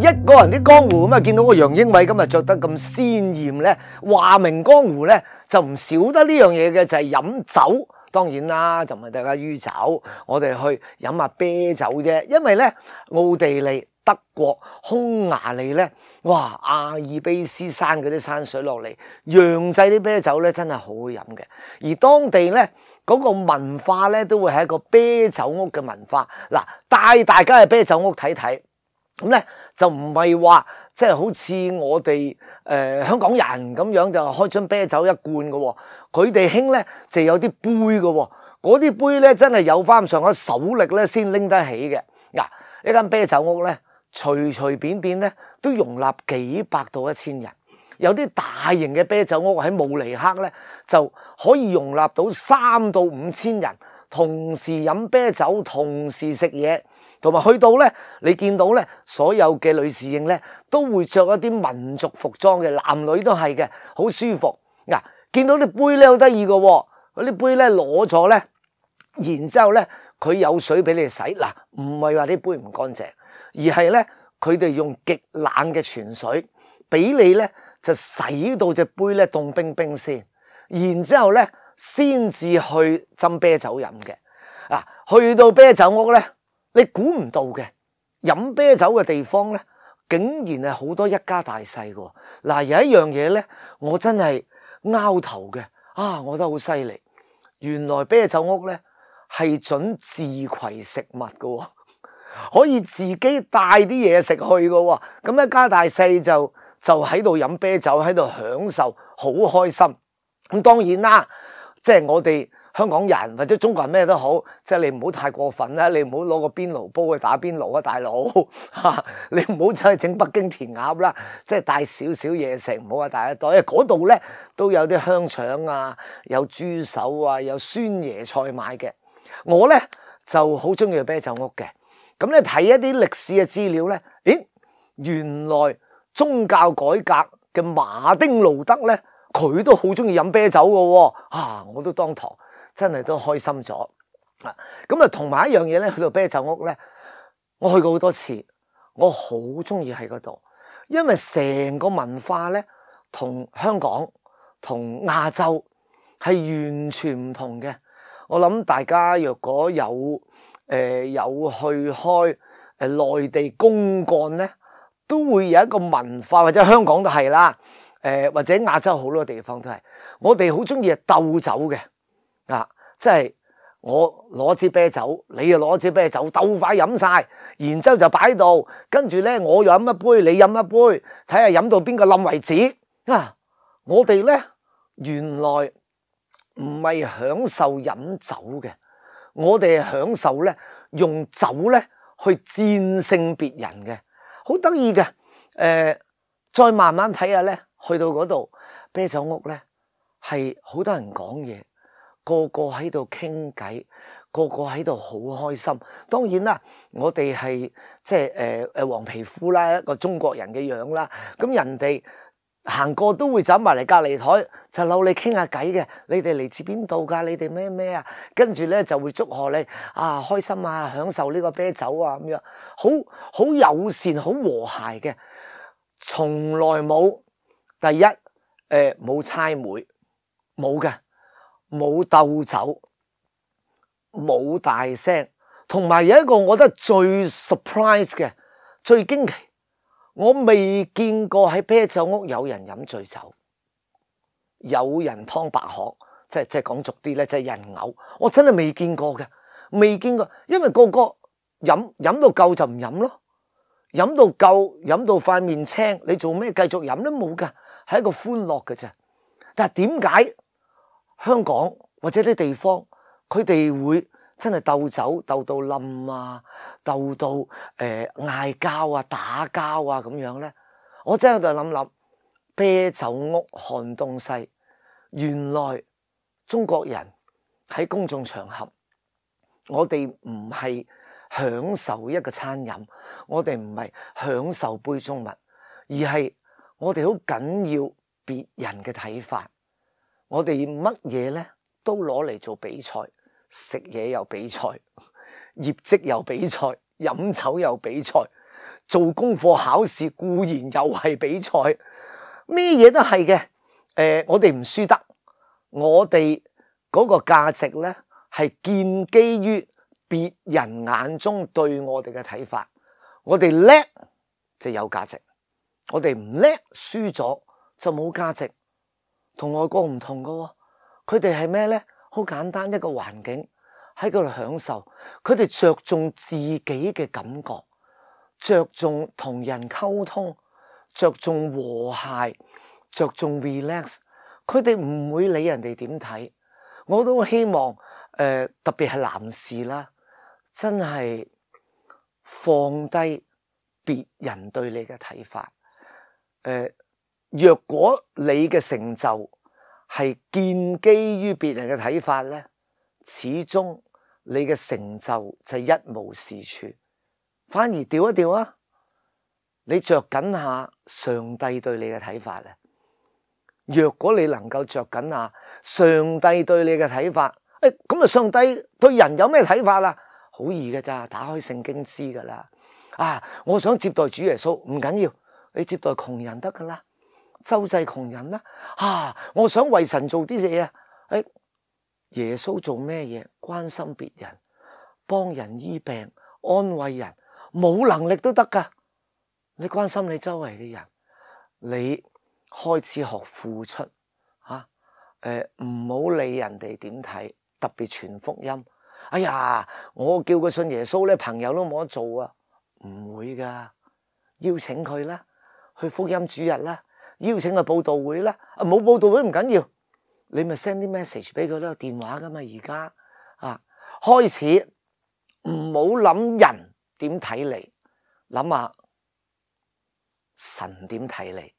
一個人啲江湖咁啊，見到個楊英偉今日着得咁鮮豔咧，話明江湖咧就唔少得呢樣嘢嘅，就係飲酒。當然啦，就唔係大家酗酒，我哋去飲下啤酒啫。因為咧，奧地利、德國、匈牙利咧，哇，阿爾卑斯山嗰啲山水落嚟，釀製啲啤酒咧真係好好飲嘅。而當地咧嗰個文化咧都會係一個啤酒屋嘅文化。嗱，帶大家去啤酒屋睇睇。咁咧就唔係話即係好似我哋香港人咁樣就開樽啤酒一罐嘅喎，佢哋興咧就有啲杯嘅喎，嗰啲杯咧真係有翻上下手力咧先拎得起嘅。嗱，一間啤酒屋咧隨隨便便咧都容納幾百到1000人，有啲大型嘅啤酒屋喺慕尼黑咧就可以容納到3到5000人，同時飲啤酒，同時食嘢。同埋去到咧，你見到咧，所有嘅女侍應咧都會着一啲民族服裝嘅，男女都係嘅，好舒服。嗱，見到啲杯咧好得意嘅喎，嗰啲杯咧攞咗咧，然之後咧佢有水俾你洗。嗱，唔係話啲杯唔乾淨，而係咧佢哋用極冷嘅泉水俾你咧，就洗到隻杯咧凍冰冰先，然之後咧先至去斟啤酒飲嘅。嗱，去到啤酒屋咧。你估唔到嘅，飲啤酒嘅地方咧，竟然係好多一家大細嘅。嗱，有一樣嘢咧，我真係拗頭嘅，我覺得好犀利。原來啤酒屋咧係準自攜食物嘅，可以自己帶啲嘢食去嘅。咁一家大細就喺度飲啤酒，喺度享受，好開心。咁當然啦，即係我哋香港人或者中國人咩都好，即係你唔好太過分啦，你唔好攞個邊爐煲去打邊爐啊，大佬嚇！你唔好走去整北京填鴨啦，即係帶少少嘢食，唔好話帶一袋。因為嗰度咧都有啲香腸啊，有豬手啊，有酸椰菜買嘅。我咧就好中意去啤酒屋嘅。咁咧睇一啲歷史嘅資料咧，原來宗教改革嘅馬丁路德咧，佢都好中意飲啤酒嘅喎。我都當堂。真係都開心咗啊！咁啊，同埋一樣嘢咧，去到啤酒屋咧，我去過好多次，我好中意喺嗰度，因為成個文化咧同香港同亞洲係完全唔同嘅。我諗大家若果有去開內地公幹咧，都會有一個文化，或者香港都係啦，或者亞洲好多地方都係，我哋好中意鬥酒嘅。即係我攞支啤酒，你又攞支啤酒，鬥快飲晒，然之後就擺喺度，跟住咧我又飲一杯，你飲一杯，睇下飲到邊個冧為止。我哋咧原來唔係享受飲酒嘅，我哋係享受咧用酒咧去戰勝別人嘅，好得意嘅。再慢慢睇下咧，去到嗰度啤酒屋咧係好多人講嘢。個個喺度傾偈，個個喺度好開心。當然啦，我哋係即係黃皮膚啦，一個中國人嘅樣啦。咁人哋行過都會走埋嚟隔離台，就扭你傾下偈嘅。你哋嚟自邊度㗎？你哋咩咩啊？跟住咧就會祝賀你開心啊，享受呢個啤酒啊咁樣，好友善，好和諧嘅。從來冇第一冇猜枚，冇嘅。冇鬥酒，冇大聲，同埋有一個我覺得最 surprise 嘅、最驚奇，我未見過喺啤酒屋有人飲醉酒，有人劏白殼，即係講俗啲咧，即係人嘔，我真係未見過嘅，未見過，因為個個飲到夠就唔飲咯，飲到夠，飲到塊面青，你做咩繼續飲都冇㗎，係一個歡樂嘅啫。但係點解香港或者啲地方，佢哋會真係鬥酒鬥到冧啊，鬥到嗌交啊、打交啊咁樣咧？我真係喺度諗，啤酒屋看東西，原來中國人喺公眾場合，我哋唔係享受一個餐飲，我哋唔係享受杯中物，而係我哋好緊要別人嘅睇法。我哋乜嘢咧都攞嚟做比賽，食嘢又比賽，業績又比賽，飲酒又比賽，做功課考試固然又係比賽，咩嘢都係嘅。我哋唔輸得，我哋嗰個價值咧係建基於別人眼中對我哋嘅睇法。我哋叻就有價值，我哋唔叻輸咗就冇價值。同外國唔同㗎喎，佢哋係咩咧？好簡單，一個環境喺嗰度享受，佢哋着重自己嘅感覺，着重同人溝通，着重和諧，着重 relax。佢哋唔會理人哋點睇。我都希望特別係男士啦，真係放低別人對你嘅睇法。若果你嘅成就係建基於別人嘅睇法咧，始終你嘅成就就一無是處。反而調一調啊，你着緊下上帝對你嘅睇法咧。若果你能夠着緊下上帝對你嘅睇法，咁啊上帝對人有咩睇法啦？好易嘅咋，打開聖經知噶啦。我想接待主耶穌，唔緊要，你接待窮人得噶啦，周濟窮人啦。我想為神做啲嘢啊，耶穌做咩嘢？關心別人，幫人醫病，安慰人，冇能力都得噶。你關心你周圍嘅人，你開始學付出唔好理人哋點睇，特別傳福音。我叫佢信耶穌咧，朋友都冇得做啊，唔會噶。邀請佢啦，去福音主日啦，邀請佢報道會啦。冇報道會唔緊要，你咪 send 啲 message 俾佢都有電話噶嘛。而家開始唔好諗人點睇你，諗下神點睇你。